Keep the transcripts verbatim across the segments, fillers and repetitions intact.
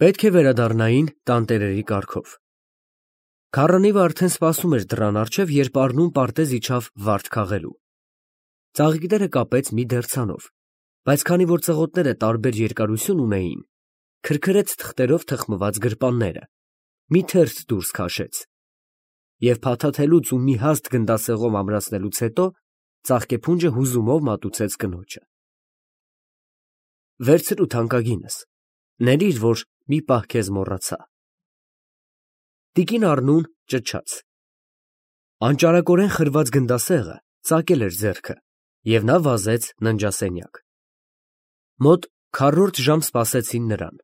Պետք է վերադառնային տանտերերի կարգով։ Քառանիվը արդեն սպասում էր դռան առջև, երբ Առնուն պարտեզ իջավ վարդ քաղելու։ Ծաղիկները կապեց մի դերձանով, բայց քանի որ ծղոտները տարբեր երկարություն ունեին, քրքրեց թղթերով թխմված գրպանները, մի թերթ դուրս քաշեց և փաթաթելուց ու մի հաստ գնդասեղով ամրացնելուց հետո ծաղկեփունջը հուզումով մատուցեց կնոջը։ Վերցրու թանկագինս, ներիր, որ մի պահ քեզ մոռացա։ Տիկին Առնուն ճչաց։ Անճարակորեն խրված գնդասեղը ծակել էր ձեռքը, և նա վազեց ննջասենյակ։ Մոտ քառորդ ժամ սպասեցին նրան։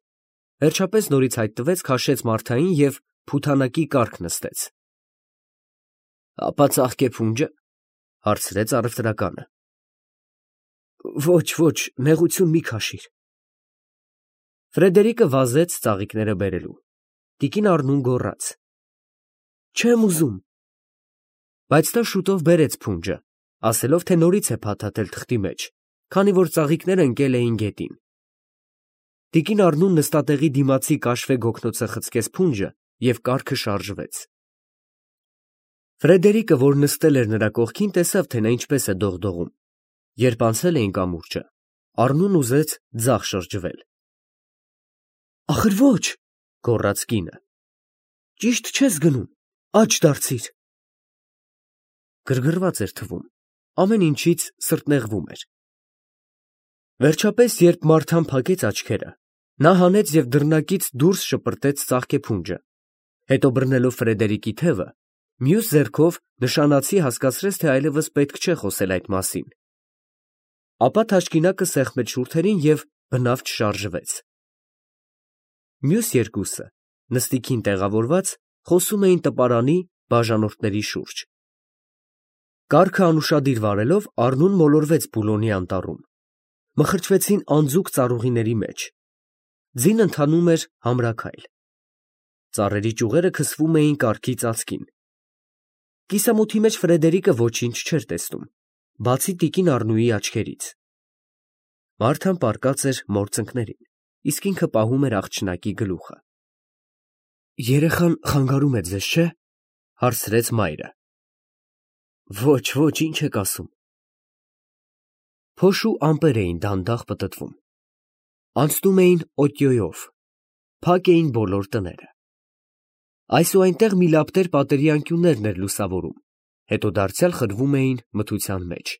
Վերջապես նորից հայտնվեց, քաշեց Մարթային և փութանակի կառք նստեց։ ֊ Ապա ծաղկեփունջը, ֊ հարցրեց առևտրականը։ ֊ Ոչ, ոչ, նեղություն մի քաշիր։ Ֆրեդերիկը վազեց ծաղիկները բերելու։ Տիկին Առնուն գոռաց. Չեմ ուզում։ Բայց նա շուտով բերեց փունջը, ասելով, թե նորից է փաթաթել թղթի մեջ, քանի որ ծաղիկները ընկել էին գետին։ Տիկին Առնուն նստատեղի դիմացի կաշվե գոգնոցը խցկեց փունջը և կառքը շարժվեց։ Ֆրեդերիկը, որ նստել էր նրա կողքին, տեսավ, թե նա ինչպես է դողդողում։ Երբ անցել էին կամուրջը, Առնուն ուզեց ձախ շրջվել։ Ախր ոչ, գոռաց կինը, ճիշտ չես գնում, աջ դարձիր։ Գրգռված էր թվում, ամեն ինչից սրտնեղվում էր։ Վերջապես, երբ Մարթան փակեց աչքերը, նա հանեց և դռնակից դուրս շպրտեց ծաղկեփունջը, հետո բռնելով Ֆրեդերիկի թևը, մյուս ձեռքով նշանացի հասկացրեց, թե այլևս պետք չէ խոսել այդ մասին։ Ապա թաշկինակը սեղմեց շուրթերին և բնավ չշարժվեց։ Մյուս երկուսը, նստիքին տեղավորված, խոսում էին տպարանի բաժանորդների շուրջ։ Կառքը անուշադիր վարելով, Առնուն մոլորվեց բուլոնի անտառում։ Մխրճվեցին անձուկ ծառուղիների մեջ։ Ձին ընթանում էր համրաքայլ։ Ծառերի ճյուղերը քսվում էին կառքի ծածկին։ Կիսամութի մեջ Ֆրեդերիկը ոչինչ չէր տեսնում, բացի տիկին Առնուի աչքերից։ Մարթան պառկած էր մոր ծնկներին, իսկ ինքը պահում էր աղջնակի գլուխը։ Երեխան խանգարում է ձեզ, չէ՞, հարցրեց մայրը։ Ոչ, ոչ, ինչ եք ասում։ Փոշու ամպեր էին դանդաղ պտտվում։ Անցնում էին օտյոյով, փակ էին բոլոր տները։ Այս ու այնտեղ մի լապտեր պատերի անկյուններն էր լուսավորում, հետո դարձյալ խրվում էին մթության մեջ։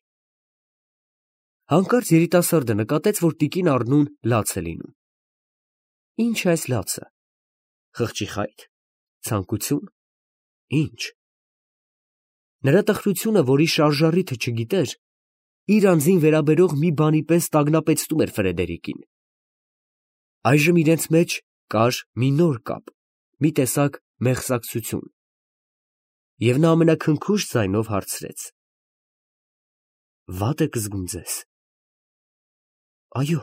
Հանկարծ երիտասարդը նկատեց, որ տիկին Առնուն լաց է լինում։ Ի՞նչ է այս լացը։ Խղճի խայթ, ցանկություն, ի՞նչ։ Նրա տխրությունը, որի շարժառիթը չգիտեր, իր անձին վերաբերող մի բանի պես տագնապեցնում էր Ֆրեդերիկին։ Այժմ իրենց մեջ կար մի նոր կապ, մի տեսակ մեղսակցություն։ Եվ նա ամենաքնքուշ ձայնով հարցրեց. Վատ եք զգում ձեզ։ Այո,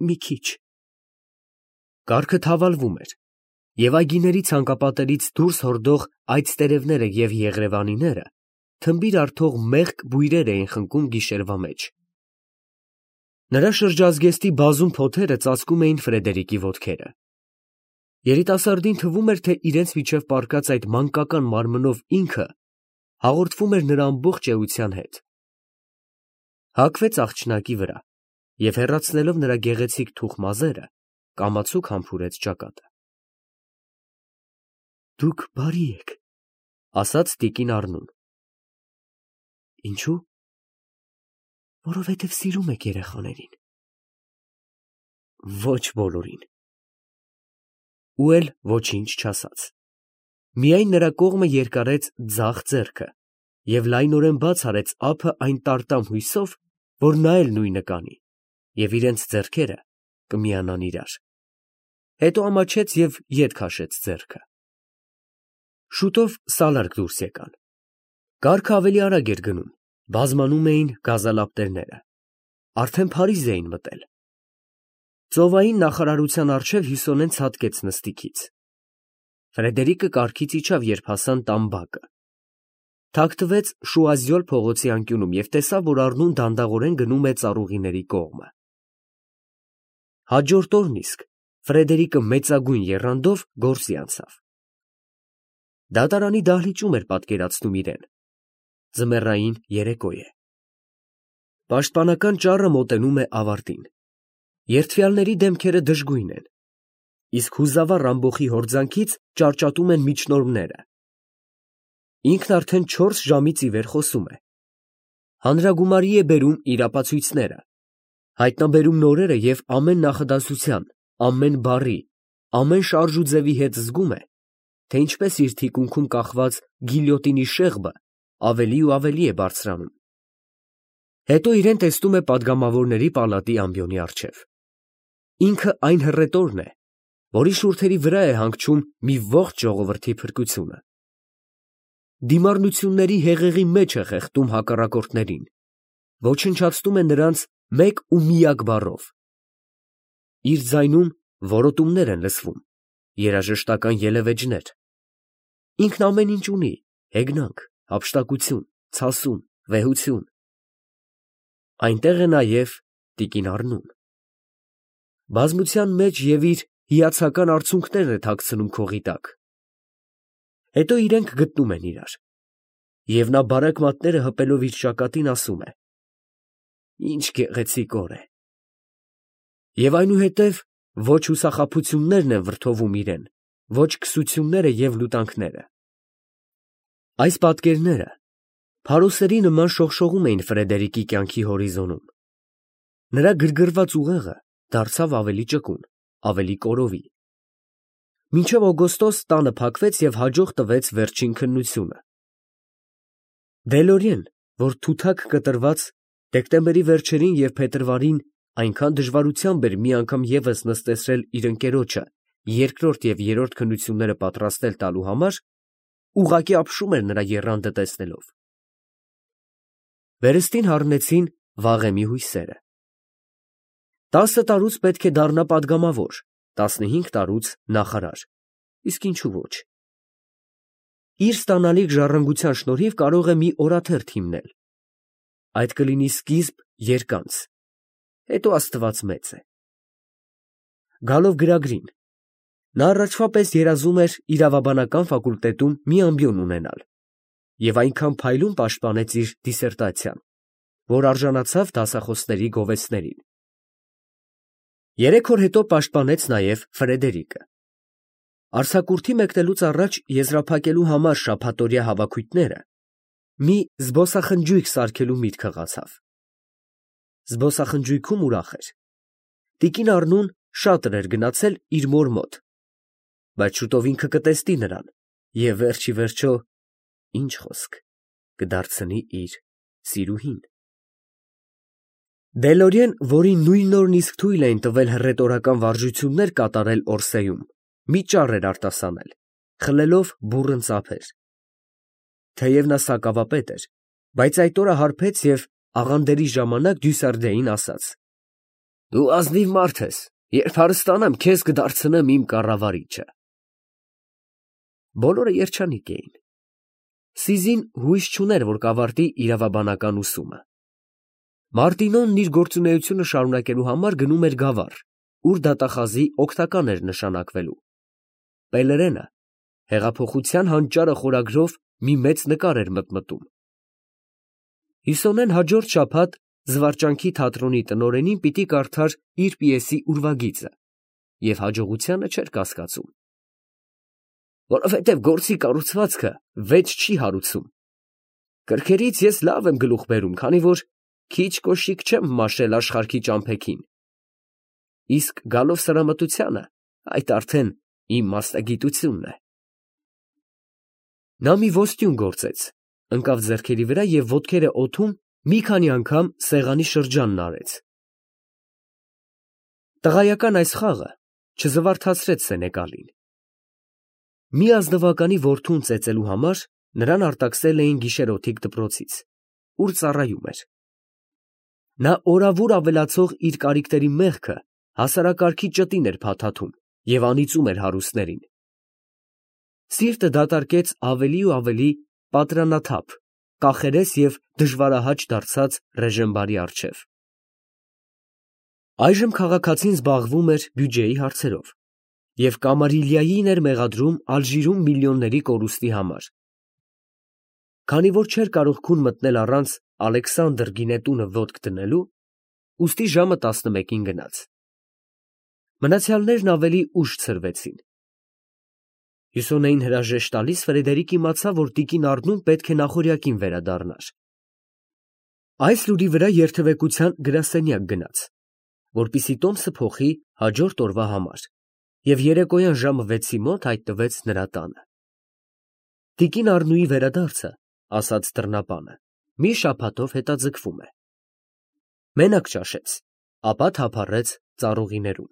մի քիչ։ Կառքը թավալվում էր, և այգիների ցանկապատերից դուրս հորդող այծտերևները և եղրևանիները թմբիր արթող մեղք բույրեր էին խնկում գիշերվա մեջ։ Նրա շրջազգեստի բազում փոթերը ծածկում էին Ֆրեդերիկի ոտքերը։ Երիտասարդին թվում էր, թե իրենց միջև պառկած այդ մանկական մարմնով ինքը հաղորդվում էր նրա ամբողջ էության հետ։ Հագվեց աղջնակի վրա և հեռացնելով նրա գեղեցիկ թուխ մազերը, կամացուկ համբուրեց ճակատը։ Դուք բարի եք, ասաց տիկին Առնուն։ Ինչո՞ւ։ Որովհետև սիրում եք երեխաներին։ Ոչ բոլորին։ Ու էլ ոչինչ չասաց։ Միայն նրա կողմը երկարեց ձախ ձեռքը և լայնորեն բաց արեց ափը այն տարտամ հույսով, որ նա էլ նույնը կանի, և իրենց ձեռքերը կմիանան իրար։ Հետո ամաչեց և ետ քաշեց ձեռքը։ Շուտով սալարք դուրս եկան։ Կառքը ավելի արագ էր գնում, բազմանում էին գազալապտերները։ Արդեն Փարիզ էին մտել։ Ծովային նախարարության առջև Հյուսոնեն ցատկեց նստիքից։ Ֆրեդերիկը կառքից իջավ, երբ հասան տան բակը։ Թաքթվեց Շուազյոլ փողոցի անկյունում և տեսավ, որ Առնուն դանդաղորեն գնում է ծառուղիների կողմը։ Հաջորդ օրն իսկ Ֆրեդերիկը մեծագույն եռանդով գործի անցավ։ Դատարանի դահլիճում էր պատկերացնում իրեն։ Ձմեռային երեկո է։ Պաշտպանական ճառը մոտենում է ավարտին։ Երդվյալների դեմքերը դժգույն են, իսկ հուզավառ ամբոխի հորձանքից ճարճատում են միջնորմները։ Ինքն արդեն չորս ժամից ի վեր խոսում է։ Հանրագումարի է բերում իր ապացույցները, հայտնաբերում նորերը և ամեն նախադասության, ամեն բառի, ամեն շարժուձևի հետ զգում է, թե ինչպես իր թիկունքում կախված գիլյոտինի շեղբը ավելի ու ավելի է բարձրանում։ Հետո իրեն տեսնում է պատգամավորների պալատի ամբիոնի առջև։ Ինքը այն հռետորն է, որի շուրթերի վրա է հանգչում մի ողջ ժողովրդի փրկությունը։ Դիմառնությունների հեղեղի մեջ է խեղդում հակառակորդներին, ոչնչացնում է նրանց մեկ ու միակ բառով։ Իր ձայնում որոտումներ են լսվում, երաժշտական ելևէջներ։ Ինքն ամեն ինչ ունի՝ հեգնանք, հափշտակություն, ցասում, վեհություն։ Այնտեղ է նաև տիկին Առնուն։ Բազմության մեջ և իր հիացական արցունքներն է թաքցնում քողի տակ։ Հետո իրենք գտնում են իրար, և նա բարակ մատները հպելով իր ճակատին ասում է. «Ինչ գեղեցիկ օր է»։ Եվ այնուհետև ոչ հուսախաբություններն են վրդովում իրեն, ոչ քսությունները և լուտանքները։ Այս պատկերները փարոսերի նման շողշողում էին Ֆրեդերիկի կյանքի հորիզոնում։ Նրա գրգռված ուղեղը դարձավ ավելի ճկուն, ավելի կորովի։ Մինչև օգոստոս տանը փակվեց և հաջող տվեց վերջին քննությունը։ Դելորիեն, որ թութակ կտրված, դեկտեմբերի վերջերին և փետրվարին այնքան դժվարությամբ էր մի անգամ ևս նստեցրել իր ընկերոջը երկրորդ և երրորդ քննությունները պատրաստել տալու համար, ուղղակի ապշում էր նրա եռանդը տեսնելով։ Վերստին հառնեցին վաղեմի հույսերը։ Տասը տարուց պետք է դառնա պատգամավոր, տասնհինգ տարուց նախարար, իսկ ինչու ոչ։ Իր ստանալիք ժառանգության շնորհիվ կարող է մի օրաթերթ հիմնել։ Այդ կլինի սկիզբ երկանց, հետո Աստված մեծ է։ Գալով գրագրին, նա առաջվա պես երազում էր իրավաբանական ֆակուլտետում մի ամբիոն ունենալ և այնքան փայլուն պաշտպանեց իր դիսերտացիան, որ արժանացավ դասախոսների գովեստներին։ Երեք օր հետո պաշտպանեց նաև Ֆրեդերիկը։ Արձակուրդի մեկնելուց առաջ եզրափակելու համար շաբաթօրյա հավաքույթները մի զբոսախնջույք սարքելու միտք հղացավ։ Զբոսախնջույքում ուրախ էր։ Տիկին Առնուն շատ էր գնացել իր մոր մոտ, բայց շուտով ինքը կտեսնի նրան և վերջ ի վերջո, ինչ խոսք, կդարձնի իր սիրուհին։ Դելորիեն, որին նույն օրն իսկ թույլ էին տվել հռետորական վարժություններ կատարել Օրսեում, մի ճառ էր արտասանել, խլելով բուռն ծափեր։ Թեև նա սակավապետ էր, բայց այդ օրը հարբեց և աղանդերի ժամանակ Դյուսարդեին ասաց. «Դու ազնիվ մարդ ես, երբ հարստանամ, քեզ կդարձնեմ իմ կառավարիչը»։ Բոլորը երջանիկ էին։ Սիզին հույս չուներ, որ կավարտի իրավաբանական ուսումը։ Մարտինոն իր գործունեությունը շարունակելու համար գնում էր Գավառ, ուր դատախազի օգնական էր նշանակվելու։ Պելերենը հեղափոխության հանճարը խորագրով մի մեծ նկար էր մտմտում։ Հիսոնեն հաջորդ շաբաթ Զվարճանքի թատրոնի տնօրենին պիտի կարդար իր պիեսի ուրվագիծը և հաջողությանը չէր կասկածում։ «Որովհետև գործի կառուցվածքը վեճ չի հարուցում։ Կրքերից ես լավ եմ գլուխ բերում, քանի որ քիչ կոշիկ չեմ մաշել աշխարհքի ճամփեքին, իսկ գալով սրամտությանը, այդ արդեն իմ մասնագիտությունն է»։ Նա մի ոստյուն գործեց, ընկավ ձեռքերի վրա և ոտքերը օդում մի քանի անգամ սեղանի շրջանն արեց։ Տղայական այս խաղը չզվարթացրեց սենեկալին։ Մի ազնվականի որդուն ծեծելու համար նրան արտաքսել էին գիշերօթիկ դպրոցից, ուր ծառայում էր։ Նա օրավուր ավելացող իր կարիքների մեղքը հասարակարգի ճտին էր փաթաթում և անիծում էր հարուստներին։ Սիրտը դատարկեց ավելի ու ավելի պատրանաթափ, կախերես և դժվարահաճ դարձած Ռեժենբարի առջև։ Այժմ քաղաքացին զբաղվում էր բյուջեի հարցերով և Կամարիլիային էր մեղադրում Ալժիրում միլիոնների կորուստի համար։ Քանի որ չէր կարող քուն մտնել առանց Ալեքսանդր գինետունը ոտք դնելու, ուստի ժամը տասնմեկին գնաց։ Մնացյալներն ավելի ուշ ցրվեցին։ Հյուսոնեին հրաժեշտ տալիս Ֆրեդերիկ իմացավ, որ տիկին Առնուն պետք է նախօրյակին վերադառնար։ Այս լուրի վրա երթևեկության գրասենյակ գնաց, որպեսզի տոմսը փոխի հաջորդ օրվա համար, և երեկոյան ժամը վեցի մոտ հայտնվեց նրա տանը։ Տիկին Առնուի վերադարձը, ասաց դռնապանը, մի շաբաթով հետաձգվում է։ Մենակ ճաշեց, ապա թափառեց ծառուղիներում։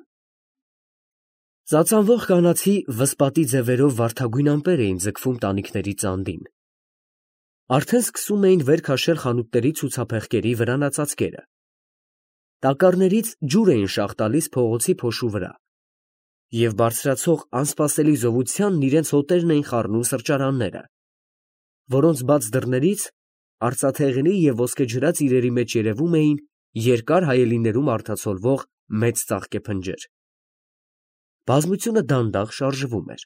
Ծածանվող կանացի վսպատի ձևերով վարդագույն ամպեր էին ձգվում տանիքների ծանդին։ Արդեն սկսում էին վեր քաշել խանութների ցուցափեղկերի վրանածածկերը։ Տակառներից ջուր էին շաղ տալիս փողոցի փոշու վրա, և բարձրացող անսպասելի զովությանն իրենց հոտերն էին խառնում սրճարանները, որոնց բաց դռներից արծաթեղենի և ոսկեջրած իրերի մեջ երևում էին երկար հայելիներում արտացոլվող մեծ ծաղկե փնջեր։ Բազմությունը դանդաղ շարժվում էր։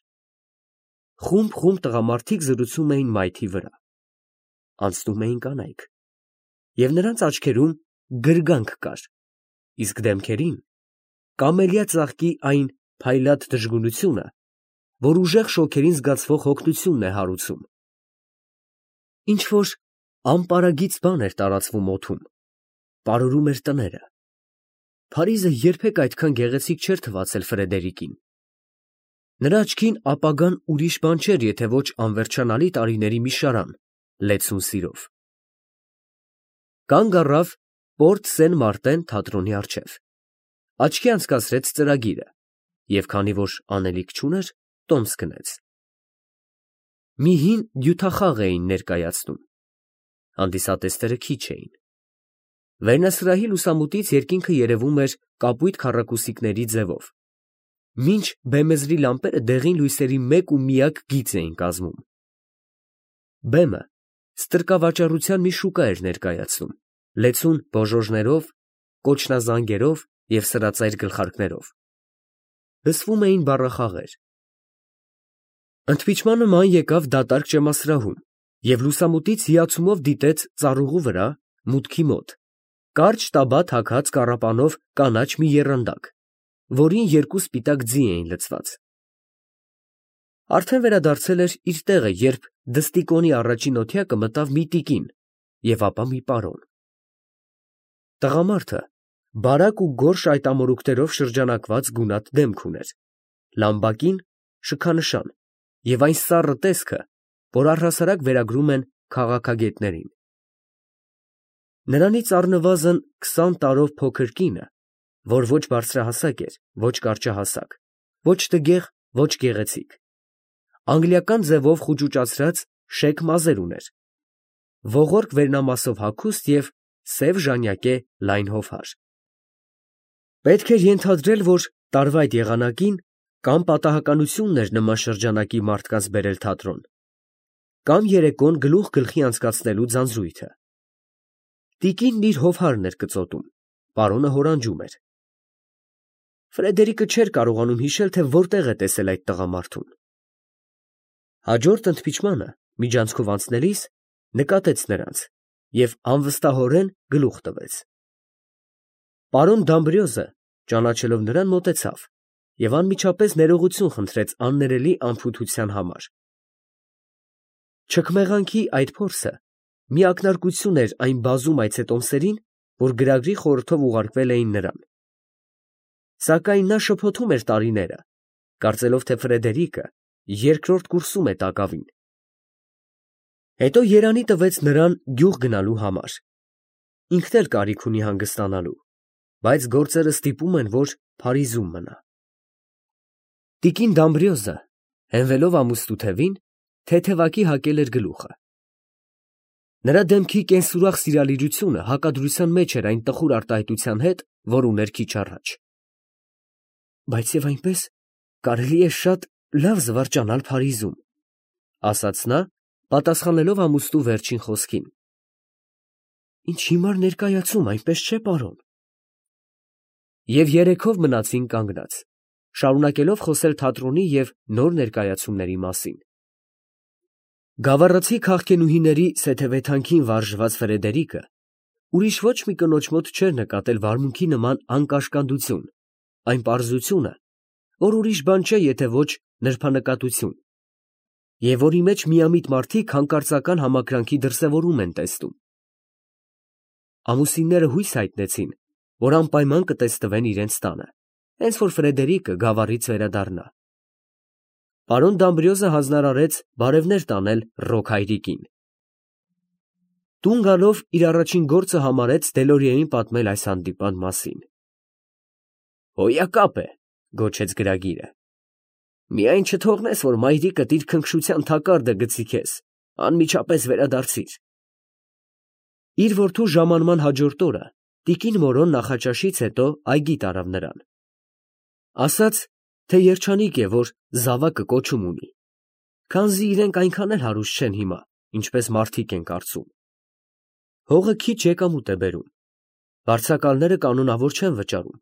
Խումբ-խումբ տղամարդիկ զրուցում էին մայթի վրա։ Անցնում էին կանայք, և նրանց աչքերում գրգանք կար, իսկ դեմքերին կամելիա ծաղկի այն փայլատ դժգունությունը, որ ուժեղ շոգերին զգացվող հոգնությունն է հարուցում։ Ինչ֊որ անպարագիծ բան էր տարածվում օդում, պարուրում էր տները։ Փարիզը երբեք այդքան գեղեցիկ չէր թվացել Ֆրեդերիկին։ Նրա աչքին ապագան ուրիշ բան չէր, եթե ոչ անվերջանալի տարիների մի շարան, լեցուն սիրով։ Կանգ առավ Պորտ Սեն Մարտեն թատրոնի առջև, աչքի անցկացրեց ծրագիրը և, քանի որ անելիք չուներ, տոմս գնեց։ Մի հին հյութախաղ էին ներկայացնում։ Հանդիսատեսները քիչ էին։ Վերնասրահի լուսամուտից երկինքը երևում էր կապույտ քառակուսիքների ձևով, մինչ բեմեզրի լամպերը դեղին լույսերի մեկ ու միակ գիծ էին կազմում։ Բեմը ստրկավաճառության մի շուկա էր ներկայացնում, լեցուն բոժոժներով, կոչնազանգերով և սրածայր գլխարկներով։ Լսվում էին բառախաղեր։ Ընդմիջմանը ման եկավ դատարկ ճեմասրահում և լուսամուտից հիացումով դիտեց ծառուղու վրա, մուտքի մոտ, կարճ տաբատ հագած կառապանով կանաչ մի եռանդակ, որին երկու սպիտակ ձի էին լցված։ Արդեն վերադարձել էր իր տեղը, երբ դստիկոնի առաջին օթյակը մտավ մի տիկին և ապա մի պարոն։ Տղամարդը բարակ ու գորշ այտամորուքներով շրջանակված գունատ դեմք ուներ, լամբակին շքանշան և այն սառը տեսքը, որ առհասարակ վերագրում են քաղաքագետներին։ Նրանից առնվազն քսան տարով փոքր կինը, որ ոչ բարձրահասակ էր, ոչ կարճահասակ, ոչ տգեղ, ոչ գեղեցիկ, անգլիական ձևով խուճուճացրած շեկ մազեր ուներ, ողորկ վերնամասով հագուստ և սև ժանյակե լայն հովհար։ Պետք էր ենթադրել, որ տարվա այդ եղանակին կամ պատահականությունն էր նման շրջանակի մարդկանց բերել թատրոն, կամ երեկոն գլուխ գլխի անցկացնելու ձանձրույթը։ Տիկինն իր հովհարն էր կծոտում, պարոնը հորանջում էր։ Ֆրեդերիկը չէր կարողանում հիշել, թե որտեղ է տեսել այդ տղամարդուն։ Հաջորդ ընդմիջմանը միջանցքով անցնելիս նկատեց նրանց և անվստահորեն գլուխ տվեց։ Պարոն Դամբրիոզը, ճանաչելով նրան, մոտեցավ և անմիջապես ներողություն խնդրեց աններելի անփութության համար։ Չքմեղանքի այդ փորձը մի ակնարկություն էր այն բազում այցետոմսերին, որ գրագրի խորհրդով ուղարկվել էին նրան։ Սակայն նա շփոթում էր տարիները, կարծելով, թե Ֆրեդերիկը երկրորդ կուրսում է տակավին։ Հետո երանի տվեց նրան գյուղ գնալու համար։ Ինքն էլ կարիք ունի հանգստանալու, բայց գործերը ստիպում են, որ Փարիզում մնա։ Տիկին Դամբրիոզը, հենվելով ամուստու թևին, թեթևակի հագել էր գլուխը։ Նրա դեմքի կենսուրախ սիրալիրությունը հակադրության մեջ էր այն տխուր արտահայտության հետ, որ ուներ քիչ առաջ։ Բայց և այնպես կարելի է շատ լավ զվարճանալ Փարիզում, ֊ ասաց նա, պատասխանելով ամուստու վերջին խոսքին։ Ինչ հիմար ներկայացում, այնպես չէ՞, պարոն։ և երեքով մնացին կանգնած, շարունակելով խոսել թատրոնի և նոր ներկայացումների մասին։ Գավառացի քաղքենուհիների սեթևեթանքին վարժված Ֆրեդերիկը ուրիշ ոչ մի կնոջ մոտ չէր նկատել վարմունքի նման անկաշկանդություն, այն պարզությունը, որ ուրիշ բան չէ, եթե ոչ նրբանկատություն, և որի մեջ միամիտ մարդիկ հանկարծական համակրանքի դրսևորում են տեսնում։ Ամուսինները հույս հայտնեցին, որ անպայման կտեսնվեն իրենց տանը, հենց որ Ֆրեդերիկը գավառից վերադառնա։ Պարոն Դամբրիոզը հանձնարարեց բարևներ տանել Ռոք հայրիկին։ Տուն գալով իր առաջին գործը համարեց Դելորիեին պատմել այս հանդիպան մասին։ «Հոյակապ է», գոչեց գրագիրը։ «Միայն չթողնես, որ մայրիկդ իր քնքշության թակարդը գցի քեզ, անմիջապես վերադարձիր»։ Իր որդու ժամանման հաջորդ օրը տիկին Մորոն նախաճաշից հետո այգի տարավ նրան։ Ասաց, թե երջանիկ է, որ զավակը կոչում ունի, քանզի իրենք այնքան էլ հարուստ չեն հիմա, ինչպես մարդիկ են կարծում։ Հողը քիչ եկամուտ է բերում, վարձակալները կանոնավոր չեն վճարում։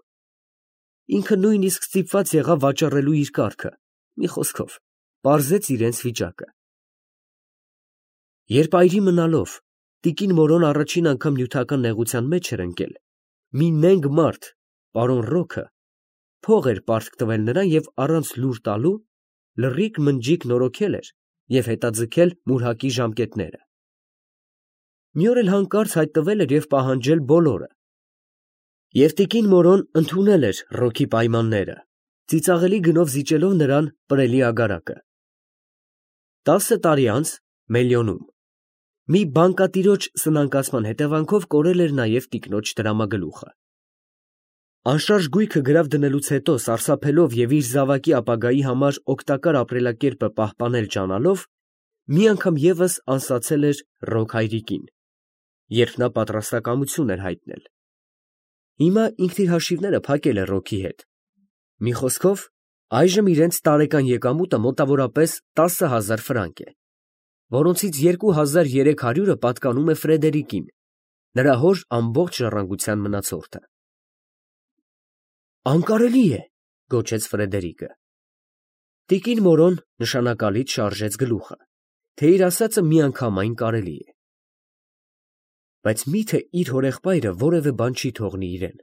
Ինքը նույնիսկ ստիպված եղավ վաճառելու իր կառքը, մի խոսքով, պարզեց իրենց վիճակը։ Երբ այրի մնալով տիկին Մորոն առաջին անգամ նյութական նեղության մեջ էր ընկել, մի նենգ մարդ, պարոն Ռոքը, փող էր պարտք տվել նրան և առանց լուր տալու լռիկ մնջիկ նորոգել էր և հետաձգել մուրհակի ժամկետները։ Մի օր էլ հանկարծ հայտնվել էր և պահանջել բոլորը։ Եվ տիկին Մորոն ընդունել էր Ռոքի պայմանները, ծիծաղելի գնով զիջելով նրան պրելի ագարակը։ Տասը տարի անց Մելյոնում մի բանկատիրոջ սնանկացման հետևանքով կորել էր նաև տիկնոջ տրամագլուխը։ Անշարժ գույքը գրավ դնելուց հետո սարսափելով և իր զավակի ապագայի համար օգտակար ապրելակերպը պահպանել ջանալով, մի անգամ ևս անսացել էր Ռոք հայրիկին, երբ նա պատրաստակամություն էր հայտնել։ Հիմա ինքն իր հաշիվները փակել է Ռոքի հետ։ Մի խոսքով, այժմ իրենց տարեկան եկամուտը մոտավորապես տասը հազար ֆրանկ է, որոնցից երկու հազար երեք հարյուրը պատկանում է Ֆրեդերիկին, նրա հոր ամբողջ ժառանգության մնացորդը։ «Անկարելի է», գոչեց Ֆրեդերիկը։ Տիկին Մորոն նշանակալից շարժեց գլուխը, թե իր ասածը միանգամայն կարելի է։ Բայց մի՞թե իր հորեղբայրը որևէ բան չի թողնի իրեն,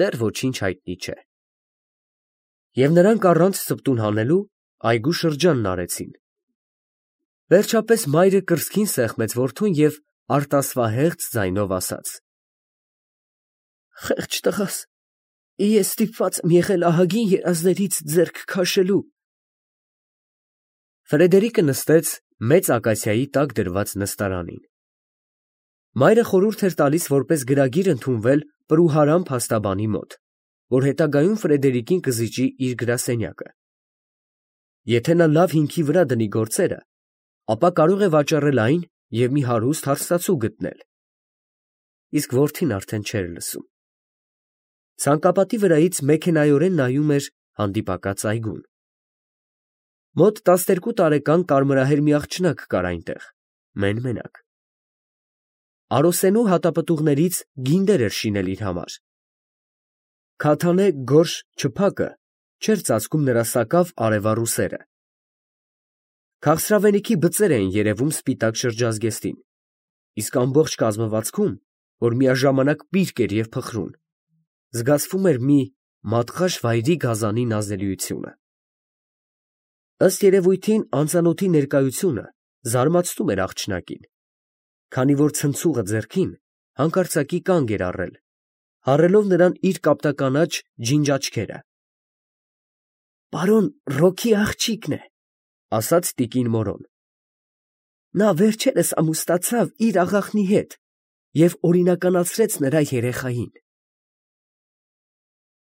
դեռ ոչինչ հայտնի չէ։ Եվ նրանք առանց սպտուն հանելու այգու շրջանն արեցին։ Վերջապես մայրը կրծքին սեղմեց որդուն և արտասվահեղձ ձայնով ասաց. «Խեղճ տղաս, ես ստիպված եմ եղել ահագին երազներից ձեռք քաշելու»։ Ֆրեդերիկը նստեց մեծ ակացիայի տակ դրված նստարանին։ Մայրը խորհուրդ էր տալիս որպես գրագիր ընդունվել Պրուհարամ փաստաբանի մոտ, որ հետագայում Ֆրեդերիկին կզիջի իր գրասենյակը։ Եթե նա լավ հիմքի վրա դնի գործերը, ապա կարող է վաճառել այն և մի հարուստ հարստացու գտնել։ Իսկ որդին արդեն չէր լսում։ Ցանկապատի վրայից մեքենայորեն նայում էր հանդիպակաց այգուն։ Մոտ տասներկու տարեկան կարմրահեր մի աղջնակ կար այնտեղ, մեն֊մենակ։ Արոսենու հատապտուղներից գինդեր էր շինել իր համար։ Քաթանե գորշ չփակը չէր ծածկում նրա սակավ արևառ ուսերը։ Քաղցրավենիքի բծեր էին երևում սպիտակ շրջազգեստին, իսկ ամբողջ կազմվածքում, որ միաժամանակ պիրկ էր և փխրուն, զգացվում էր մի մատղաշ վայրի գազանի նազելիությունը։ Ըստ երևույթին անծանոթի ներկայությունը զարմացնում էր աղջնակին, քանի որ ցնցուղը ձեռքին հանկարծակի կանգ էր առել, հառելով նրան իր կապտականաչ ջինջ աչքերը։ «Պարոն Ռոքի աղջիկն է», ֊ ասաց տիկին Մորոն։ «Նա վերջերս ամուսնացավ իր աղախնի հետ և օրինականացրեց նրա երեխային»։